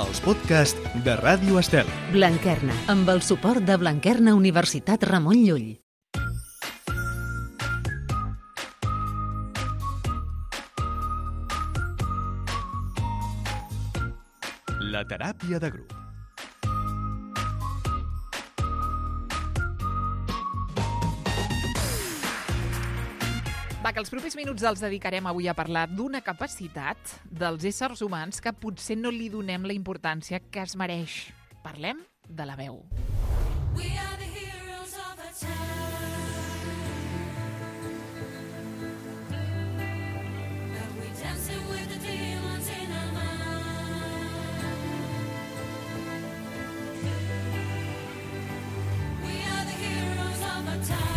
els podcasts de Ràdio Estel. Blanquerna, amb el suport de Blanquerna Universitat Ramon Llull. La teràpia de grup. Va, que els propers minuts els dedicarem avui a parlar d'una capacitat dels éssers humans que potser no li donem la importància que es mereix. Parlem de la veu. We are the heroes of our time. But we dancing with the demons in our mind. We are the heroes of our time.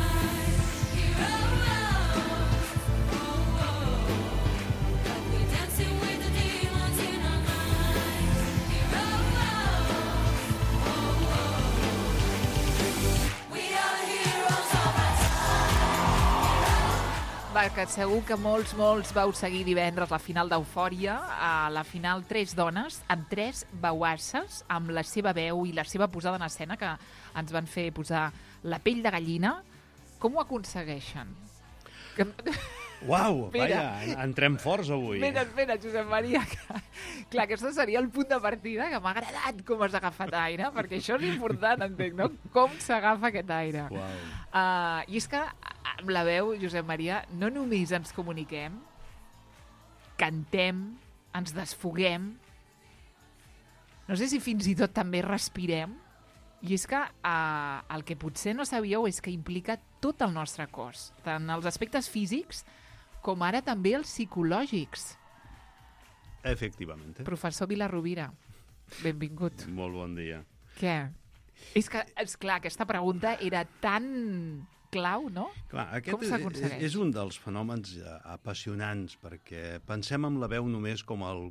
Que segur que molts vau seguir divendres la final d'Eufòria, a la final 3 dones, amb 3 veuasses, amb la seva veu i la seva posada en escena, que ens van fer posar la pell de gallina. Com ho aconsegueixen? Uau, vaja, entrem forts avui. Espera, Josep Maria. Clar, aquest seria el punt de partida, que m'ha agradat com has agafat aire, perquè això és important, entenc, no? Com s'agafa aquest aire. I és que amb la veu, Josep Maria, no només ens comuniquem, cantem, ens desfoguem, no sé si fins i tot també respirem, i és que el que potser no sabíeu és que implica tot el nostre cos, tant els aspectes físics com ara també els psicològics. Efectivament. Professor Vilarrovira, benvingut. Molt bon dia. Què? És que, esclar, aquesta pregunta era tan clau, no? Clar, com s'aconsegueix? És un dels fenòmens apassionants, perquè pensem en la veu només com el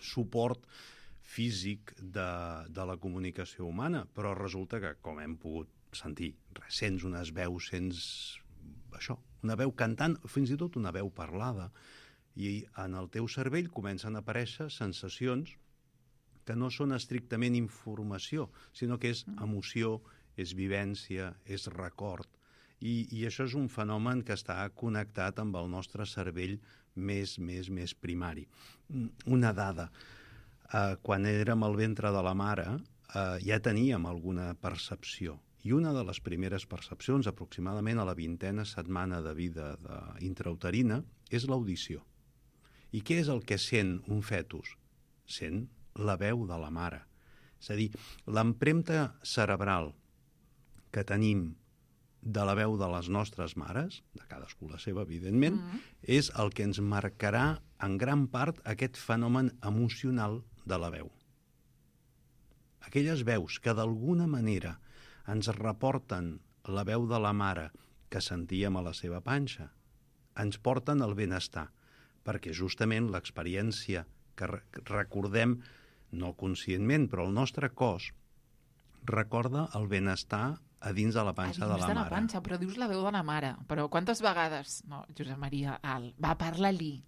suport físic de la comunicació humana, però resulta que, com hem pogut sentir, sents unes veus, sents això, una veu cantant, fins i tot una veu parlada, i en el teu cervell comencen a aparèixer sensacions que no són estrictament informació, sinó que és emoció, és vivència, és record. I això és un fenomen que està connectat amb el nostre cervell més primari. Una dada. Quan érem al ventre de la mare, ja teníem alguna percepció. I una de les primeres percepcions, aproximadament a la 20a setmana de vida intrauterina, és l'audició. I què és el que sent un fetus? Sent la veu de la mare. És a dir, l'empremta cerebral que tenim de la veu de les nostres mares, de cadascú la seva, evidentment, és el que ens marcarà en gran part aquest fenomen emocional de la veu. Aquelles veus que d'alguna manera ens reporten la veu de la mare que sentíem a la seva panxa, ens porten al benestar, perquè justament l'experiència que recordem, no conscientment, però el nostre cos recorda el benestar a dins de la panxa de la mare. A dins de la panxa, però dius la veu de la mare. Però quantes vegades? No, Josep Maria, va, parla-li,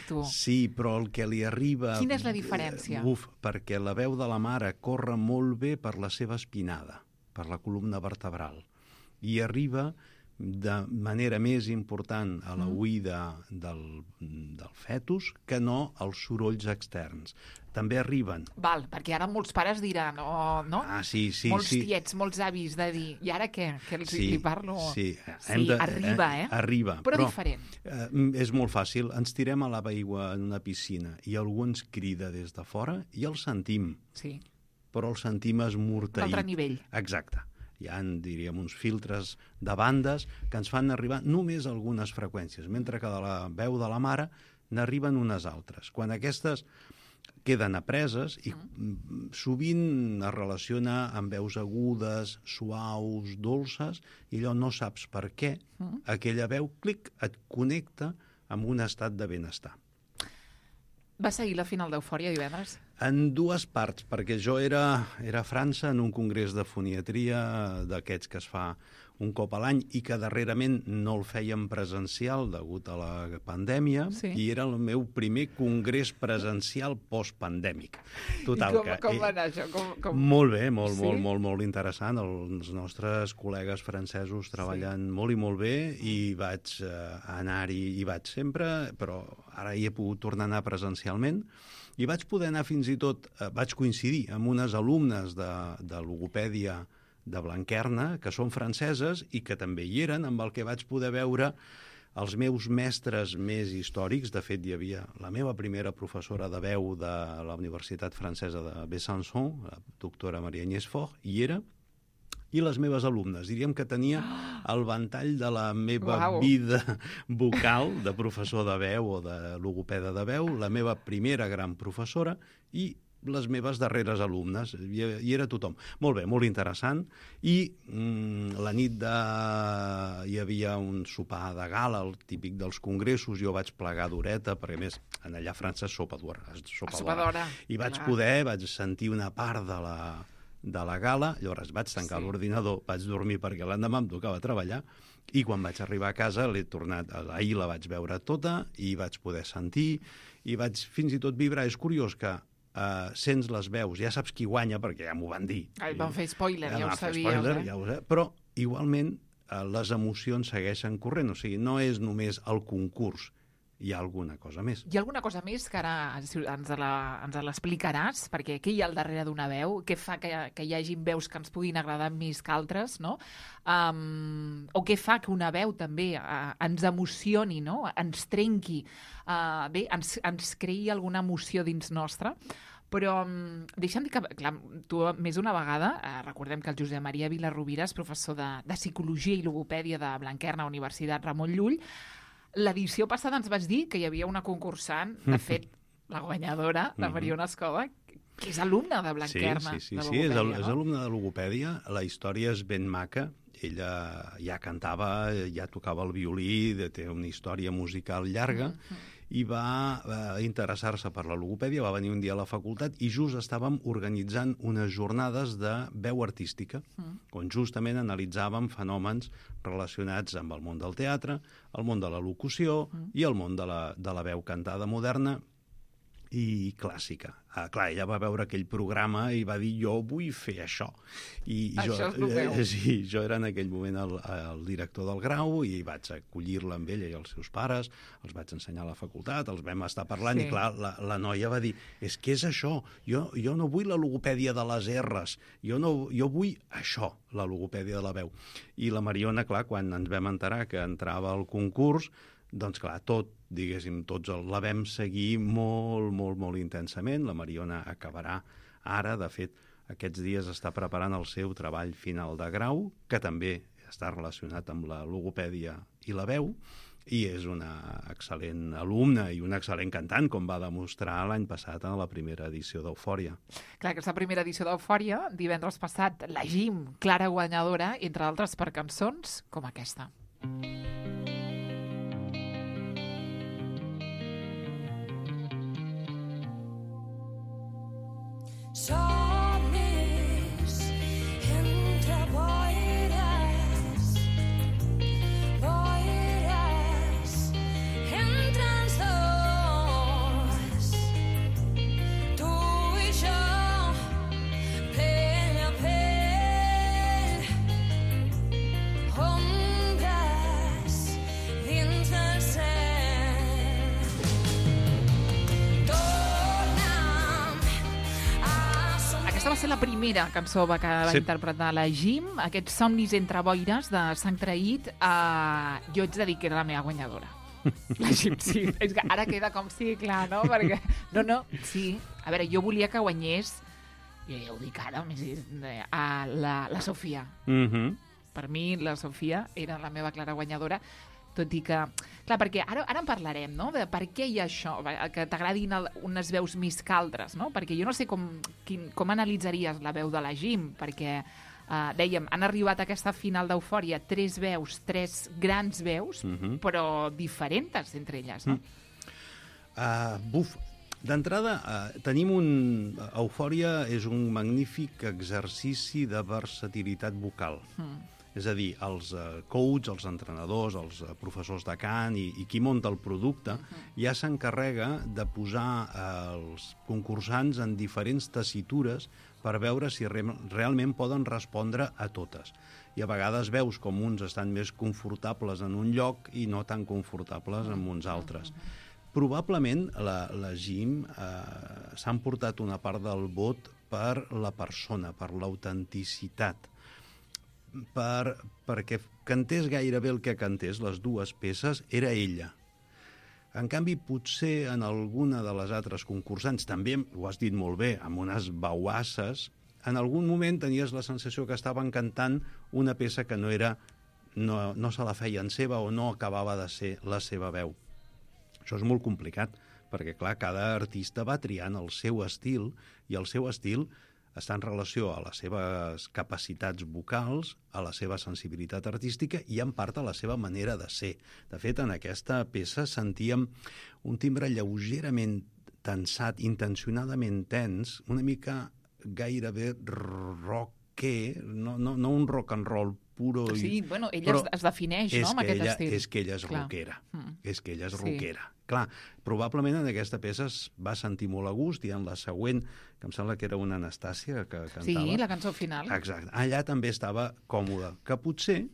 tu. Sí, però el que li arriba... Quina és la diferència? Perquè la veu de la mare corre molt bé per la seva espinada, per la columna vertebral, i arriba de manera més important a l'oïda del fetus que no als sorolls externs. També arriben... Val, perquè ara molts pares diran, no? Sí. Molts tiets, molts avis de dir, i ara què? Que li parlo? Sí, arriba, Arriba. Però diferent. És molt fàcil. Ens tirem a l'aigua en una piscina i algú ens crida des de fora i el sentim. Sí. Però el sentim esmorteït. D'altre nivell. Exacte. Hi ha, diríem, uns filtres de bandes que ens fan arribar només algunes freqüències, mentre que de la veu de la mare n'arriben unes altres. Quan aquestes queden apreses i sovint es relaciona amb veus agudes, suaus, dolces, i allò no saps per què, aquella veu, clic, et connecta amb un estat de benestar. Va seguir la final d'Eufòria divendres? En dues parts, perquè jo era a França en un congrés de foniatria d'aquests que es fa un cop a l'any i que darrerament no el fèiem presencial degut a la pandèmia, i era el meu primer congrés presencial postpandèmic. Total, I com va anar això? Molt bé, molt interessant. Els nostres col·legues francesos treballen molt i molt bé, i vaig anar-hi, i vaig sempre, però ara hi he pogut tornar a anar presencialment, i vaig poder anar fins i tot, vaig coincidir amb unes alumnes de logopèdia de Blanquerna, que són franceses i que també hi eren, amb el que vaig poder veure els meus mestres més històrics. De fet, hi havia la meva primera professora de veu de la Universitat Francesa de Besançon, la doctora Maria Agnès Faure, hi era, i les meves alumnes. Diríem que tenia el ventall de la meva vida vocal de professor de veu o de logopeda de veu, la meva primera gran professora i les meves darreres alumnes. Hi era tothom. Molt bé, molt interessant. I la nit hi havia un sopar de gala, el típic dels congressos. Jo vaig plegar d'horeta, perquè a més, allà a França és sopa d'hora. I vaig sentir una part de la gala, llavors vaig tancar l'ordinador, vaig dormir perquè l'endemà em tocava treballar, i quan vaig arribar a casa ahir la vaig veure tota i vaig poder sentir, i vaig fins i tot vibrar. És curiós que sents les veus, ja saps qui guanya perquè ja m'ho van dir. Van fer spoiler, ja ho sabíeu. Però igualment les emocions segueixen corrent, o sigui, no és només el concurs, hi ha alguna cosa més. Hi ha alguna cosa més que ara ens l'explicaràs? Perquè què hi ha al darrere d'una veu? Què fa que hi hagi veus que ens puguin agradar més que altres? No? O què fa que una veu també ens emocioni, no? Ens trenqui, ens creï alguna emoció dins nostra? Però deixa'm dir que, clar, tu més d'una vegada, recordem que el Josep Maria Vilarrovira és professor de Psicologia i Logopèdia de Blanquerna, Universitat Ramon Llull. L'edició passada ens vas dir que hi havia una concursant, de fet, la guanyadora, la Mariona Escoba, que és alumna de Blanquerna. Sí, és alumna de logopèdia. La història és ben maca. Ella ja cantava, ja tocava el violí, té una història musical llarga, i va interessar-se per la logopèdia, va venir un dia a la facultat i just estàvem organitzant unes jornades de veu artística, on justament analitzàvem fenòmens relacionats amb el món del teatre, el món de la locució i el món de la veu cantada moderna i clàssica. Clar, ella va veure aquell programa i va dir, jo vull fer això. Això és el meu. Sí, jo era en aquell moment el director del grau i vaig acollir-la amb ella i els seus pares, els vaig ensenyar a la facultat, els vam estar parlant i clar, la noia va dir, és que és això, jo no vull la logopèdia de les R's, jo vull això, la logopèdia de la veu. I la Mariona, clar, quan ens vam enterar que entrava al concurs, doncs clar, tots la vam seguir molt intensament. La Mariona acabarà ara, de fet, aquests dies està preparant el seu treball final de grau, que també està relacionat amb la logopèdia i la veu, i és una excel·lent alumna i una excel·lent cantant, com va demostrar l'any passat a la primera edició d'Eufòria. Clar, aquesta primera edició d'Eufòria, divendres passat, la Jim, clara guanyadora, entre altres per cançons com aquesta. Somnis entre boires entre els dos, tu i jo, pell a pell, ombres dins del cel. Aquesta va ser la primera cançó que va interpretar la Jim, aquests somnis entre boires de Sant Traït. Jo haig de dir que era la meva guanyadora. La Jim, sí. És que ara queda com sí, clar, no? Perquè, sí. A veure, jo volia que guanyés, jo ja ho dic ara, la Sofia. Per mi, la Sofia era la meva clara guanyadora, tot i que... Clar, perquè ara en parlarem, no?, de per què hi ha això, que t'agradin unes veus més que altres, no? Perquè jo no sé com analitzaries la veu de la Jim, perquè, dèiem, han arribat a aquesta final d'Eufòria 3 veus, 3 grans veus, però diferents entre elles, no? D'entrada, tenim Eufòria és un magnífic exercici de versatilitat vocal. És a dir, els coach, els entrenadors, els professors de cant i qui munta el producte ja s'encarrega de posar els concursants en diferents tessitures per veure si realment poden respondre a totes. I a vegades veus com uns estan més confortables en un lloc i no tan confortables en uns altres. Probablement la GIM s'ha emportat una part del vot per la persona, per l'autenticitat, perquè cantés gairebé el que cantés, les dues peces, era ella. En canvi, potser en alguna de les altres concursants, també, ho has dit molt bé, amb unes bauasses, en algun moment tenies la sensació que estaven cantant una peça que no se la feien seva o no acabava de ser la seva veu. Això és molt complicat, perquè, clar, cada artista va triant el seu estil, i el seu estil està en relació a les seves capacitats vocals, a la seva sensibilitat artística i, en part, a la seva manera de ser. De fet, en aquesta peça sentíem un timbre lleugerament tensat, intencionadament tens, una mica gairebé rocker, no un rock and roll puro. Sí, bueno, ella es defineix, no?, amb aquest estil. És que ella és rockera. És que ella és rockera. Clar, probablement en aquesta peça es va sentir molt a gust, i en la següent, que em sembla que era una Anastàcia que cantava... Sí, la cançó final. Exacte. Allà també estava còmoda. Que potser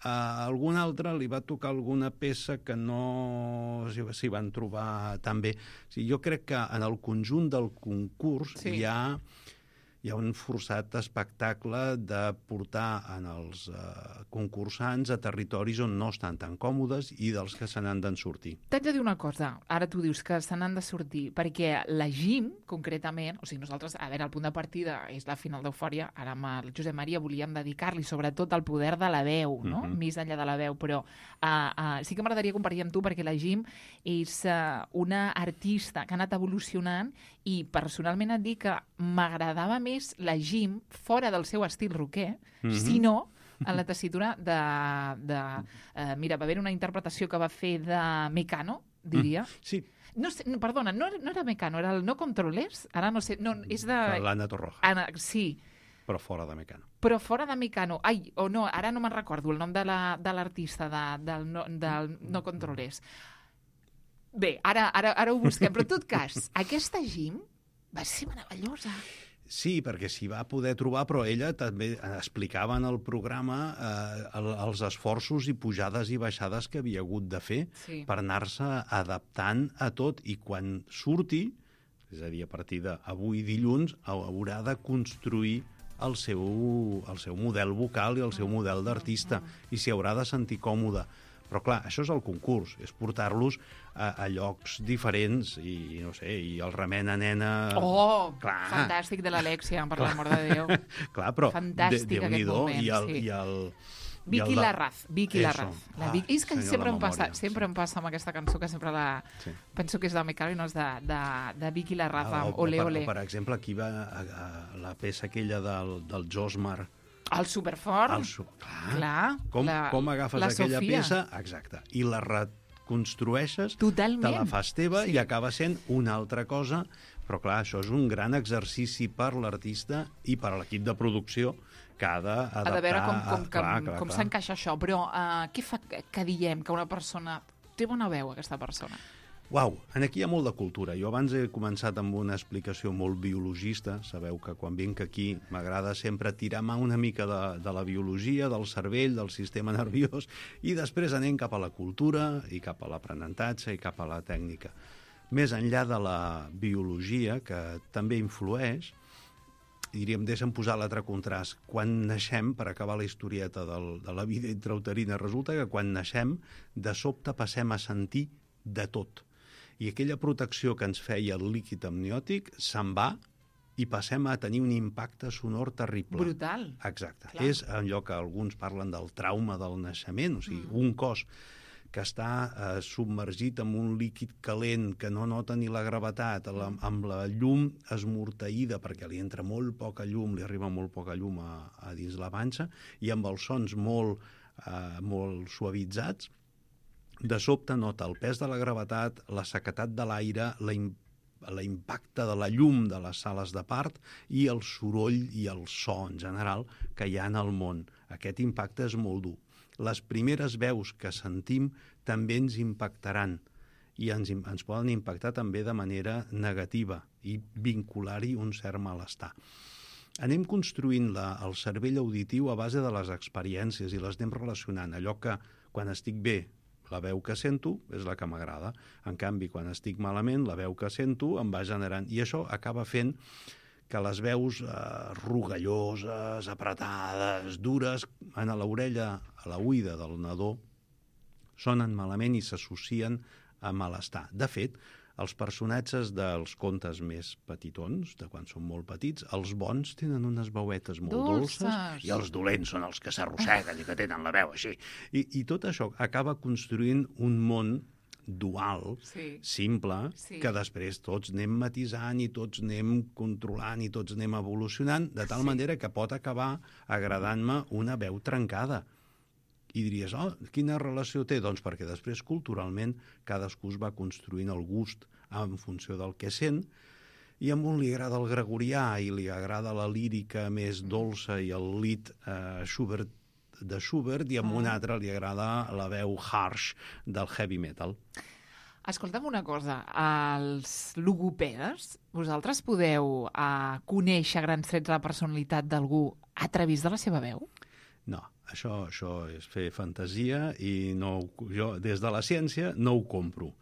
a algun altre li va tocar alguna peça que no s'hi van trobar tan bé. O sigui, jo crec que en el conjunt del concurs hi ha un forçat espectacle de portar en els concursants a territoris on no estan tan còmodes i dels que se n'han d'en sortir. T'haig de dir una cosa, ara tu dius que se n'han de sortir, perquè la GIM, concretament, o sigui, nosaltres, a veure, el punt de partida és la final d'Eufòria, ara amb el Josep Maria volíem dedicar-li sobretot al poder de la veu, no?, més enllà de la veu, però sí que m'agradaria compartir amb tu, perquè la GIM és una artista que ha anat evolucionant, i personalment et dic que m'agradava més la GIM fora del seu estil rocker, sinó en la tessitura de mira, va haver una interpretació que va fer de Mecano, diria. Sí. No sé, perdona, no era Mecano, era el No Controles, ara no sé, no, és de... L'Anna Torroja. Sí. Però fora de Mecano. Però fora de Mecano. Ai, o no, ara no me'n recordo el nom de l'artista del No Controles. Bé, ara ho busquem, però en tot cas, aquesta GIM va ser meravellosa. Sí, perquè s'hi va poder trobar, però ella també explicava en el programa els esforços i pujades i baixades que havia hagut de fer per anar-se adaptant a tot, i quan surti, és a dir, a partir d'avui dilluns, haurà de construir el seu model vocal i el seu model d'artista, i s'hi haurà de sentir còmode. Però, clar, això és el concurs, és portar-los a llocs diferents i, no sé, i el remena nena... Oh, clar. Fantàstic de l'Alexia, per l'amor de Déu. Clar, però fantàstic aquest moment, Vicky Larraz. És que sempre em passa amb aquesta cançó, que sempre penso que és de Mecano i no és de Vicky Larraz, amb Ole Ole. Per exemple, aquí va la peça aquella del Josmar, el Superfort. Clar. Com agafes aquella peça, exacte, i la reconstrueixes, te la fas teva i acaba sent una altra cosa, però clar, això és un gran exercici per l'artista i per l'equip de producció que ha d'adaptar... Ha de veure com s'encaixa això, però què fa que diem que una persona té bona veu, aquesta persona? Uau, aquí hi ha molt de cultura. Jo abans he començat amb una explicació molt biologista. Sabeu que quan vinc aquí m'agrada sempre tirar mà una mica de la biologia, del cervell, del sistema nerviós, i després anem cap a la cultura i cap a l'aprenentatge i cap a la tècnica. Més enllà de la biologia, que també influeix, diríem, deixa'm posar l'altre contrast. Quan naixem, per acabar la historieta de la vida intrauterina, resulta que quan naixem, de sobte passem a sentir de tot. I aquella protecció que ens feia el líquid amniòtic se'n va i passem a tenir un impacte sonor terrible. Brutal. Exacte. Clar. És allò que alguns parlen del trauma del naixement, o sigui, un cos que està submergit en un líquid calent, que no nota ni la gravetat, amb la llum esmorteïda, perquè li entra molt poca llum, li arriba molt poca llum a dins la panxa, i amb els sons molt suavitzats, de sobte nota el pes de la gravetat, la sequetat de l'aire, l'impacte de la llum de les sales de part i el soroll i el so en general que hi ha en el món. Aquest impacte és molt dur. Les primeres veus que sentim també ens impactaran i ens poden impactar també de manera negativa i vincular-hi un cert malestar. Anem construint el cervell auditiu a base de les experiències i les anem relacionant. Allò que quan estic bé, la veu que sento és la que m'agrada. En canvi, quan estic malament, la veu que sento em va generant. I això acaba fent que les veus rugalloses, apretades, dures, a l'orella, a l'oïda del nadó, sonen malament i s'associen a malestar. De fet, els personatges dels contes més petitons, de quan són molt petits, els bons tenen unes veuetes molt dolces i els dolents són els que s'arrosseguen i que tenen la veu així. I tot això acaba construint un món dual, simple, que després tots anem matisant i tots anem controlant i tots anem evolucionant, de tal manera que pot acabar agradant-me una veu trencada. I diries, quina relació té? Doncs perquè després, culturalment, cadascú es va construint el gust en funció del que sent, i a un li agrada el gregorià i li agrada la lírica més dolça i el lied de Schubert, i a un altre li agrada la veu harsh del heavy metal. Escolta'm una cosa, els logopedes, vosaltres podeu conèixer grans trets de la personalitat d'algú a través de la seva veu? No, això és fer fantasia i jo, des de la ciència, no ho compro.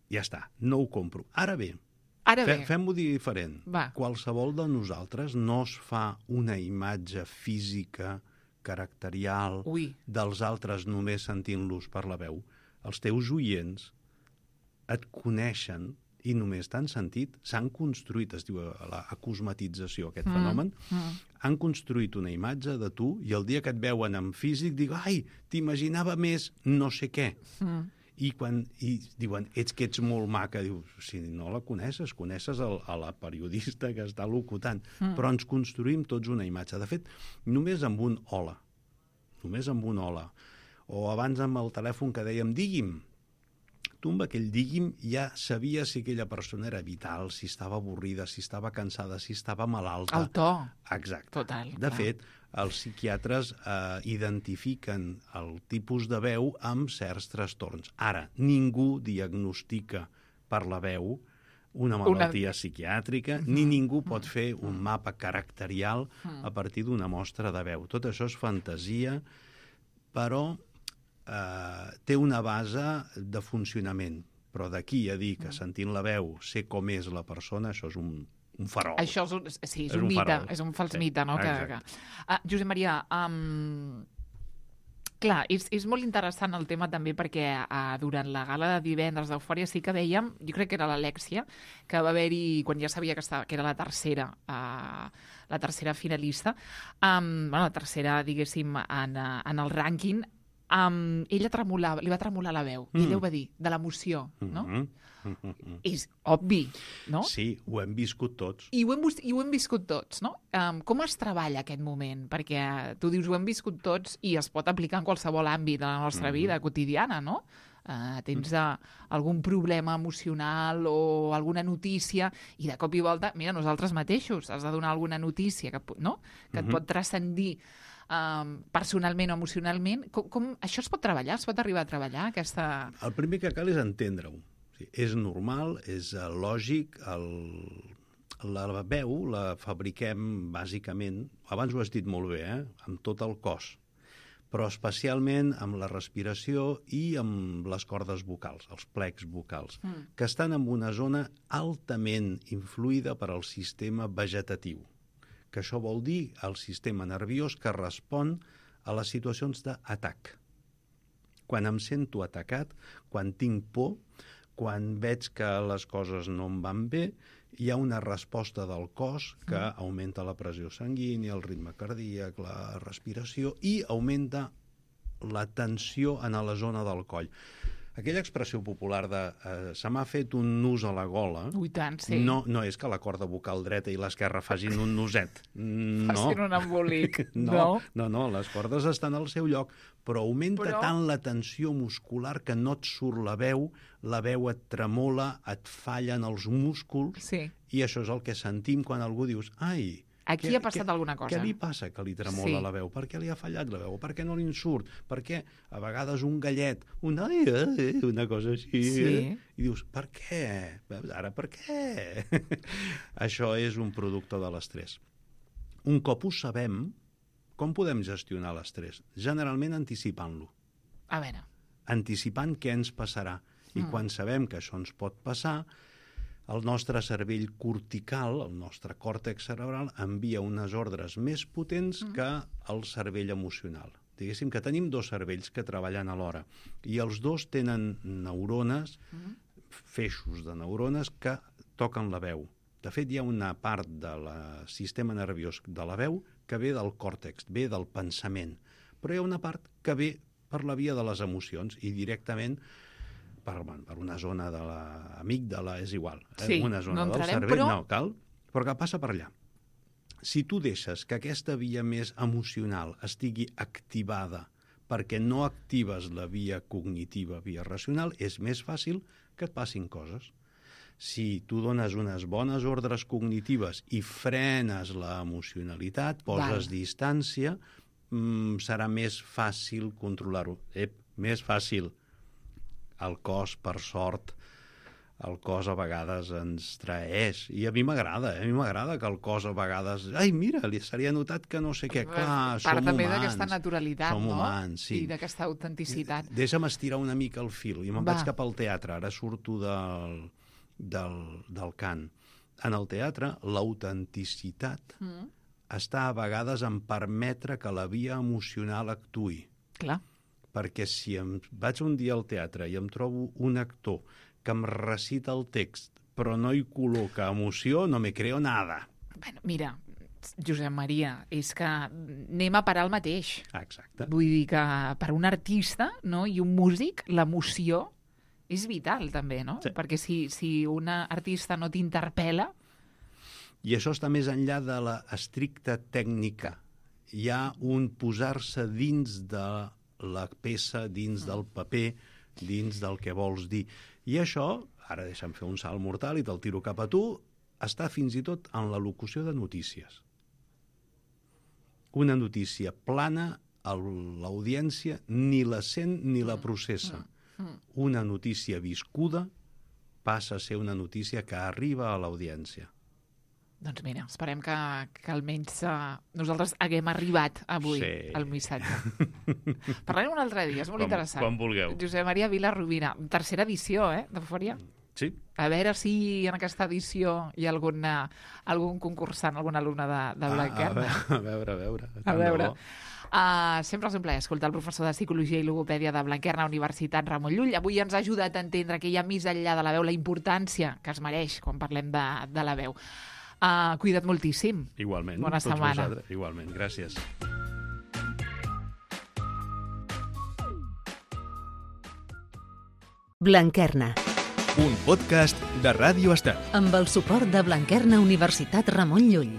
Ja està, no ho compro. Ara bé, fem-ho diferent. Qualsevol de nosaltres no es fa una imatge física, caracterial, dels altres només sentint-los per la veu. Els teus oients et coneixen i només t'han sentit, s'han construït, es diu la acosmatització, aquest fenomen, han construït una imatge de tu i el dia que et veuen en físic diuen, ai, t'imaginava més no sé què. I diuen, ets que ets molt maca, dius, si no la coneixes a la periodista que està locutant, però ens construïm tots una imatge. De fet, només amb un hola, o abans amb el telèfon que dèiem, digui'm, tu amb aquell digui'm ja sabies si aquella persona era vital, si estava avorrida, si estava cansada, si estava malalta. El to. Exacte. Total. De fet, els psiquiatres identifiquen el tipus de veu amb certs trastorns. Ara, ningú diagnostica per la veu una malaltia psiquiàtrica, ni ningú pot fer un mapa caracterial a partir d'una mostra de veu. Tot això és fantasia, però té una base de funcionament. Però d'aquí a dir que sentint la veu sé com és la persona, això és un farol. Això és un mite, és un fals mite, no? Josep Maria, clar, és molt interessant el tema també perquè durant la gala de divendres d'Eufòria sí que dèiem, jo crec que era l'Alèxia, que va haver-hi, quan ja sabia que era la tercera finalista, la tercera, diguéssim, en el rànquing, ella li va tremolar la veu, i ella ho va dir, de l'emoció, no? És obvi, no? Sí, ho hem viscut tots. I ho hem viscut tots, no? Com es treballa aquest moment? Perquè tu dius ho hem viscut tots i es pot aplicar en qualsevol àmbit de la nostra vida quotidiana, no? Tens algun problema emocional o alguna notícia i de cop i volta, mira, nosaltres mateixos has de donar alguna notícia que et pot transcendir personalment o emocionalment. Com això es pot treballar? Es pot arribar a treballar? El primer que cal és entendre-ho. És normal, és lògic. La veu la fabriquem bàsicament, abans ho has dit molt bé, amb tot el cos, però especialment amb la respiració i amb les cordes vocals, els plecs vocals, que estan en una zona altament influïda per al sistema vegetatiu, que això vol dir el sistema nerviós que respon a les situacions d'atac. Quan em sento atacat, quan tinc por, quan veig que les coses no em van bé, hi ha una resposta del cos que augmenta la pressió sanguínia, el ritme cardíac, la respiració i augmenta la tensió en la zona del coll. Aquella expressió popular de se m'ha fet un nus a la gola, Ui, tant, sí. no és que la corda vocal dreta i l'esquerra facin un nuset. No. Facin un embolic. No, les cordes estan al seu lloc, però augmenta Però- tant la tensió muscular que no et surt la veu et tremola, et fallen els músculs, Sí. i això és el que sentim quan algú dius, ai, Aquí ha passat alguna cosa. Què li passa que li tremola Sí. la veu? Per què li ha fallat la veu? Per què no li en surt? Per què a vegades un gallet, una cosa així, Sí. i dius, per què? Veus, ara per què? Això és un producte de l'estrès. Un cop ho sabem, com podem gestionar l'estrès? Generalment anticipant-lo. A veure, Anticipant què ens passarà. I quan sabem que això ens pot passar, el nostre cervell cortical, el nostre còrtex cerebral, envia unes ordres més potents que el cervell emocional. Diguéssim que tenim dos cervells que treballen alhora i els dos tenen neurones, feixos de neurones que toquen la veu. De fet, hi ha una part del sistema nerviós de la veu que ve del còrtex, ve del pensament, però hi ha una part que ve per la via de les emocions i directament per una zona de l'amígdala, és igual. Sí, una zona no del entrarem, cervell, però- no cal, però que passa per allà. Si tu deixes que aquesta via més emocional estigui activada perquè no actives la via cognitiva, via racional, és més fàcil que et passin coses. Si tu dones unes bones ordres cognitives i frenes la emocionalitat, poses distància, serà més fàcil controlar-ho. Més fàcil. El cos, per sort, el cos a vegades ens traeix. I a mi m'agrada, a mi m'agrada que el cos a vegades... Ai, mira, li seria notat que no sé què. Clar, som part també humans. d'aquesta naturalitat, som no? humans, sí. I d'aquesta autenticitat. Deixa'm estirar una mica el fil i me'n Va. vaig cap al teatre. Ara surto del cant. En el teatre, l'autenticitat està a vegades en permetre que la via emocional actuï. Clar. Perquè si vaig un dia al teatre i em trobo un actor que em recita el text però no hi col·loca emoció, no me creo nada. Bueno, mira, Josep Maria, és que anem a parar el mateix. Exacte. Vull dir que per un artista, no, i un músic, l'emoció és vital també, no? Sí. Perquè si un artista no t'interpel·la... I això està més enllà de la estricta tècnica. Hi ha un posar-se dins de la peça, dins del paper, dins del que vols dir. I això, ara deixa'm fer un salt mortal i te'l tiro cap a tu, està fins i tot en la locució de notícies. Una notícia plana, l'audiència ni la sent ni la processa. Una notícia viscuda passa a ser una notícia que arriba a l'audiència. Doncs mira, esperem que almenys nosaltres haguem arribat avui al missatge. Parlarem un altre dia, és molt interessant. Quan vulgueu. Josep Maria Vila Rovira, tercera edició, d'Eufòria. Sí. A veure si en aquesta edició hi ha algun concursant, algun alumne de Blanquerna. A veure. A veure. Sempre és un plaer escoltar el professor de Psicologia i Logopèdia de Blanquerna, Universitat Ramon Llull. Avui ens ha ajudat a entendre que hi ha més enllà de la veu, la importància que es mereix quan parlem de la veu. Cuida't moltíssim. Igualment. Bona setmana. Vosaltres. Igualment, gràcies. Blanquerna, Un podcast de Ràdio Estel. amb el suport de Blanquerna Universitat Ramon Llull.